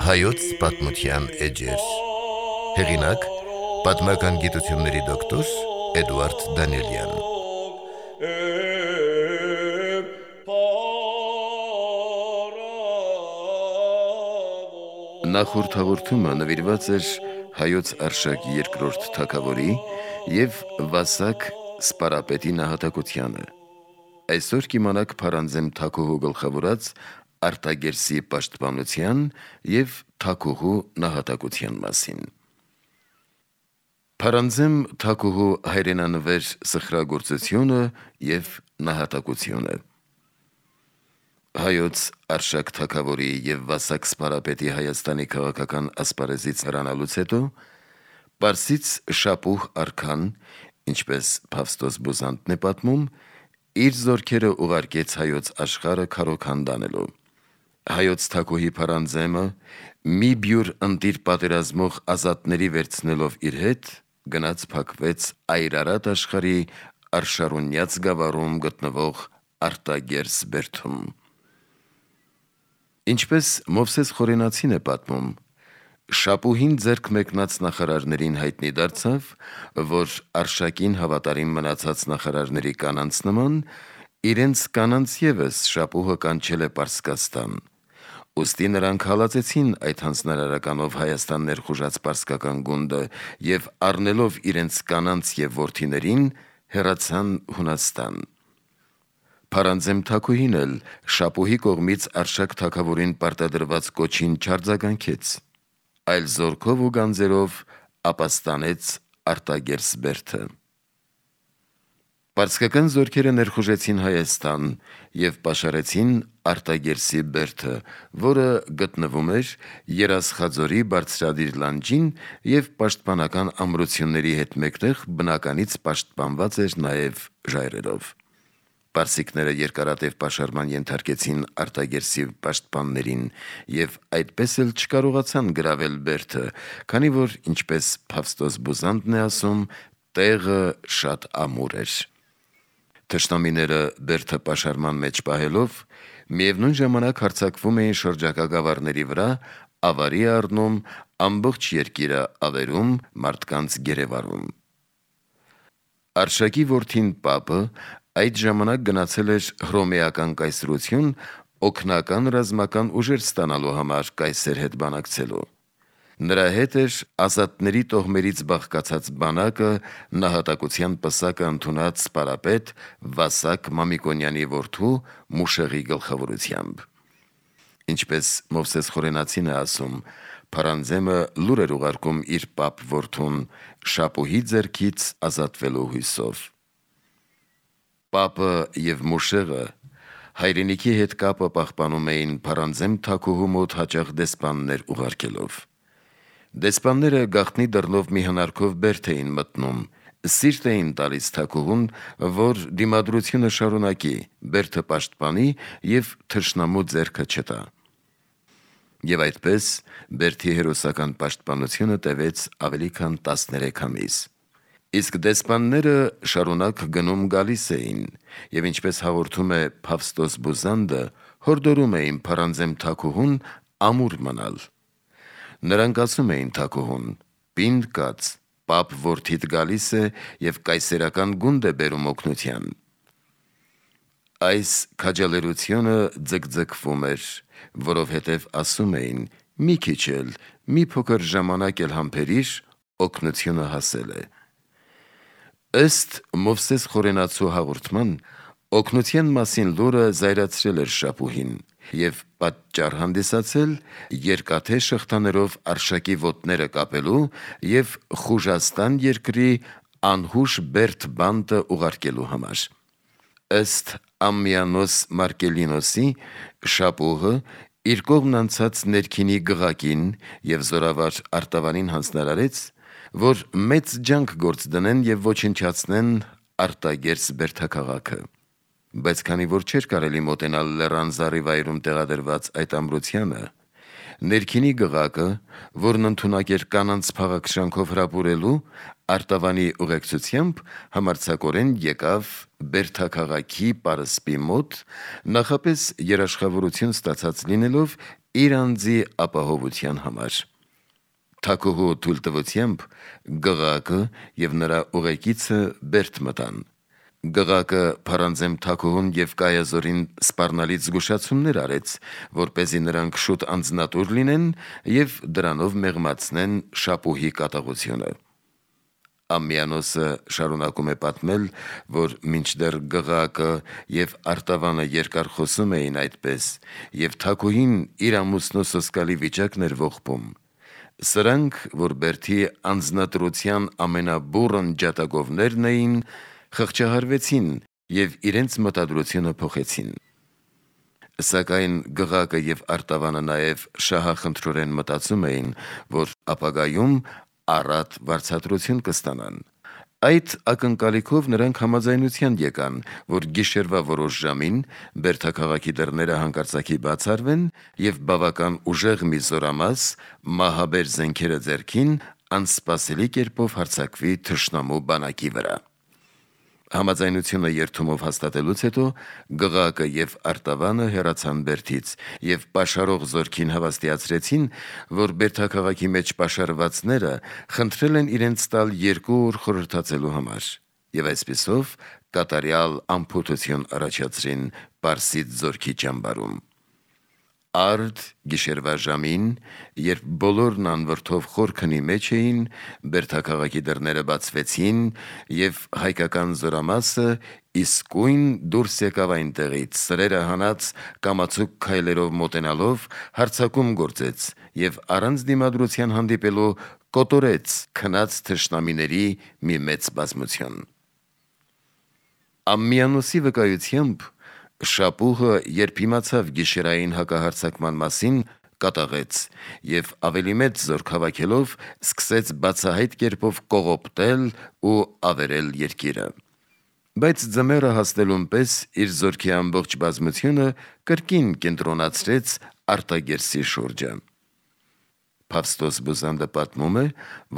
Հայոց պատմության էջեր։ Հեղինակ՝ պատմական գիտությունների դոկտոր Էդուարդ Դանիելյան։ Նախորդ հաղորդումը նվիրված էր հայոց Արշակ II թագավորի և Վասակ սպարապետի նահատակությանը։ Այսօր կիմանաք Փարանձեմ թագուհու գլխավորած Արտագերսի պաշտպանության և թագուհու նահատակության մասին։ Փարանձեմ թագուհու հայրենանվեր սխրագործությունը և նահատակությունը։ Հայոց Արշակ թագավորի և Վասակ սպարապետի Հայաստանի քաղաքական ասպարեզից հեռանալուց հետո Պարսից Շապուհ արքան, ինչպես Փավստոս Բուզանդն է պատմում, իր զորքերը ուղարկեց հայոց աշխարհը քարոքան տանելու։ Հայոց թագուհի Փարանձեմը մի բյուր ընտիր պատերազմող ազատների վերցնելով իր հետ, գնաց փակվեց Այրարատ աշխարհի Արշարունյաց գավառում գտնվող Արտագերս բերդում։ Ինչպես Մովսես Խորենացին է պատմում, Շապուհին ձեռք մեկնած նախարարներին հայտնի դարձավ, որ Արշակին հավատարիմ մնացած նախարարների կանանց նման, իրենց կանանց ևս Շապուհը կանչել է Պարսկաստան։ Ուստի նրանք հալածեցին այդ հանձնարարականով Հայաստան ներխուժած պարսկական գունդը և առնելով իրենց կանանց և որդիներին, հեռացան Հունաստան։ Փարանձեմ թագուհին էլ Շապուհի կողմից Արշակ թագավորին պարտադրված կոչին չարձագանքեց, այլ զորքով ու գանձերով ապաստանեց Արտագերս բերդը։ Պարսկական զորքերը ներխուժեցին Հայաստան և պաշարեցին Արտագերսի բերդը, որը գտնվում էր Երասխաձորի բարձրադիր լանջին և պաշտպանական ամրությունների հետ մեկտեղ բնականից պաշտպանված էր նաև ժայռերով։ Պարսիկները երկարատև պաշարման ենթարկեցին Արտագերսի պաշտպաններին և այդպես էլ չկարողացան գրավել բերդը, քանի որ, ինչպես Փավստոս Բուզանդն է ասում, տեղը շատ ամուր էր։ Թշնամիները բերդը պաշարման մեջ պահելով, միևնույն ժամանակ հարձակվում էին շրջակա գավառների վրա, ավարի առնում ամբողջ երկիրը ավերում, մարդկանց գերեվարում։ Արշակի որդին Պապը այդ ժամանակ գնացել էր Հռոմեական կայսրություն օգնական ռազմական ուժեր ստանալու համար կայսեր հետ բանակցելու։ Նրա հետ էր ազատների տոհմերից բաղկացած բանակը նահատակության պսակը ընդունած սպարապետ Վասակ Մամիկոնյանի որդու Մուշեղի գլխավորությամբ։ Ինչպես Մովսես Խորենացին է ասում, Փարանձեմը լուր էր ուղարկում իր պապ որդուն Շապուհի ձեռքից ազատվելու հույսով։ Պապը և Մուշեղը հայրենիքի հետ կապը պահպանում էին Փարանձեմ թագուհու մոտ հաճախ դեսպաններ ուղարկելով։ Դեսպանները գաղտնի դռնով մի հնարքով բերդ էին մտնում, սիրտ էին տալիս թագուհուն, որ դիմադրությունը շարունակի, բերդը պաշտպանի և թշնամու ձեռքը չտա։ Եվ այդպես բերդի հերոսական պաշտպանությունը տևեց ավելի քան 13 ամիս։ Իսկ դեսպանները շարունակ գնում գալիս էին և, ինչպես հաղորդում է Փավստոս Բուզանդը, հորդորում էին Փարանձեմ թագուհուն ամուր մնալ։ Նրանք ասում էին թագուհուն. «Պինդ կաց, պապ որդիդ գալիս է և կայսերական գունդ է բերում օգնության»։ Այս քաջալերությունը ձգձգվում էր, որովհետև ասում էին. «Մի քիչ էլ, մի փոքր ժամանակ էլ համբերիր, օգնությունը հասել է»։ Ըստ Մովսես Խորենացու հաղորդման, օգնության մասին լուրը զայրացրել էր Շապուհին և պատճառ հանդիսացել երկաթե շղթաներով Արշակի ոտները կապելու և Խուժաստան երկրի անհուշ բերդ բանտը ուղարկելու համար։ Ըստ Ամմիանոս Մարկելինոսի, Շապուհը իր կողմն անցած ներքինի գղակին և զորավար արտավանին հանձնարարեց, որ մեծ ջանք գործ դնեն և ոչնչացնեն Արտագերս բերդաքաղաքը։ Բայց քանի որ չէր կարելի մոտենալ լեռան զառիվայրում տեղադրված այդ ամրությանը, Ներքինի գղակը, որն ընդունակ էր կանանց փաղաքշանքով հրապուրելու, Արտավանի ուղեկցությամբ համարձակորեն եկավ Բերդաքաղաքի պարսպի մոտ, նախապես երաշխավորություն ստացած լինելով իր անձի ապահովության համար։ Թագուհու թույլտվությամբ գղակը և նրա ուղեկիցը Բերդ մտան։ Գղակը Փարանձեմ թագուհուն և Կայազորին սպառնալից զգուշացումներ արեց, որպեսզի նրանք շուտ անձնատուր լինեն և դրանով մեղմացնեն Շապուհի կատաղությունը։ Ամմիանոսը շարունակում է պատմել, որ մինչդեռ գղակը և Արտավանը երկար խոսում էին այդպես, և թագուհին իր ամուսնու սոսկալի վիճակն էր ողբում, սրանք, որ Բերդի անձնատրության ամենաբուռն ջատագովներն էին, խղճահարվեցին և իրենց մտադրությունը փոխեցին։ Սակայն գղակը և Արտավանը նաև շահախնդրորեն մտածում էին, որ ապագայում առատ վարձատրություն կստանան։ Այդ ակնկալիքով նրանք համաձայնության եկան, որ գիշերվա որոշ ժամին Բերդաքաղաքի դռները հանկարծակի բացառվեն և բավական ուժեղ մի զորամաս մահաբեր զենքերը ձեռքին անսպասելի կերպով հարձակվի թշնամու բանակի վրա։ Համաձայնությունը երդումով հաստատելուց հետո գղակը և Արտավանը հեռացան Բերդից և պաշարող զորքին հավաստիացրեցին, որ Բերդաքաղաքի մեջ պաշարվածները խնդրել են իրենց տալ 2 օր խորհրդացելու համար և այսպիսով կատարյալ անփութություն առաջացրին Պարսից զորքի ճամբարում։ Արդ գիշերվա ժամին, երբ բոլորն անվրդով խոր քնի մեջ էին, Բերդաքաղաքի դռները բացվեցին և հայկական զորամասը իսկույն դուրս եկավ այնտեղից, սրերը հանած կամացուկ քայլերով մոտենալով հարձակում գործեց և առանց դիմադրության հանդիպելու կոտորեց քնած թշնամիների մի մեծ բազմություն։ Ամմիանոսի վկայությամբ Շապուհը, երբ իմացավ գիշերային հակահարձակման մասին, կատաղեց և ավելի մեծ զորք հավաքելով սկսեց բացահայտ կերպով կողոպտել ու ավերել երկիրը։ Բայց ձմեռը հասնելուն պես իր զորքի ամբողջ բազմությունը կրկին կենտրոնացրեց Արտագերսի շուրջը։ Փավստոս Բուզանդը պատմում է,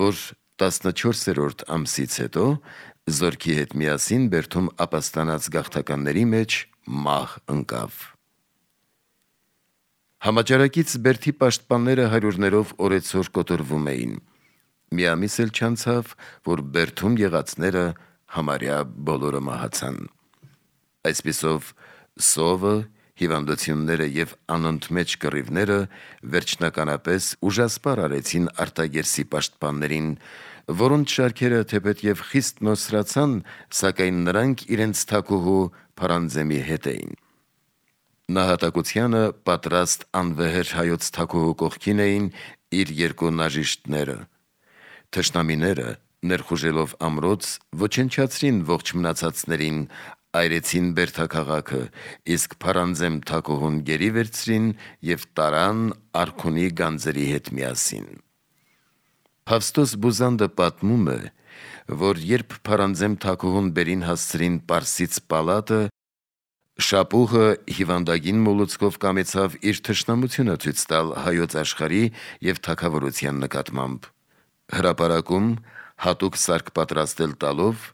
որ 14-րդ ամսից հետո զորքի հետ միասին Բերդում ապաստանած գաղթականների մեջ մահ ընկավ։ Համաճարակից Բերդի պաշտպանները հարյուրներով օրեցօր կոտորվում էին։ Մի ամիս էլ չանցավ, որ Բերդում եղածները համարյա բոլորը մահացան։ Այսպիսով սովը, հիվանդությունները և անընդմեջ կռիվները վերջնականապես ուժասպառ արեցին Արտագերսի պաշտպաններին, որոնց շարքերը թեպետ և խիստ նոսրացան, սակայն նրանք իրենց թագուհու Փարանձեմի հետ էին։ Նահատակությանը պատրաստ անվեհեր հայոց թագուհու կողքին էին իր 2 նաժիշտները։ Թշնամիները, ներխուժելով ամրոց, ոչնչացրին ողջ մնացածներին, այրեցին Բերդաքաղաքը, իսկ Փարանձեմ թագուհուն գերի վերցրին և տարան արքունի գանձերի հետ միասին։ Փավստոս Բուզանդը պատմում է, որ երբ Փարանձեմ թագուհուն բերին հասցրին Պարսից պալատը, Շապուհը հիվանդագին մոլուցքով կամեցավ իր թշնամությունը ցույց տալ հայոց աշխարհի և թագավորության նկատմամբ։ Հրապարակում հատուկ սարք պատրաստել տալով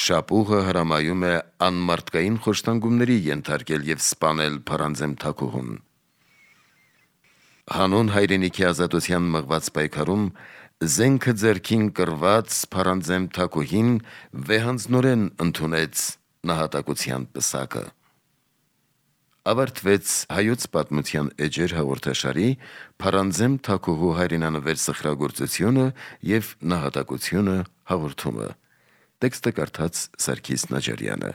Շապուհը հրամայում է անմարդկային խոշտանգումների ենթարկել և սպանել Փարանձեմ թագուհուն։ Հանուն հայրենիքի ազատության մղված պայքարում զենքը ձեռքին կռված Փարանձեմ թագուհին վեհանձնորեն ընդունեց նահատակության պսակը։ Ավարտվեց Հայոց պատմության էջեր հաղորդաշարի Փարանձեմ թագուհու հայրենանվեր սխրագործությունը և նահատակությունը հաղորդումը։ Տեքստը կարդաց Սարգիս Նաջարյանը։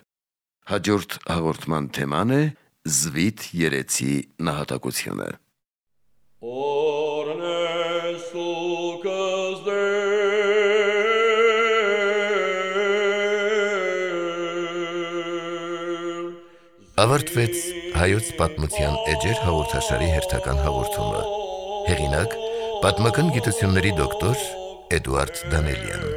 Հաջորդ հաղորդման թեման է Զվիթ երեցի նահատակությունը։ Ավարտվեց Հայոց պատմության էջեր հաղորդաշարի հերթական հաղորդումը։ Հեղինակ՝ պատմական գիտությունների դոկտոր Էդուարդ Դանելյան։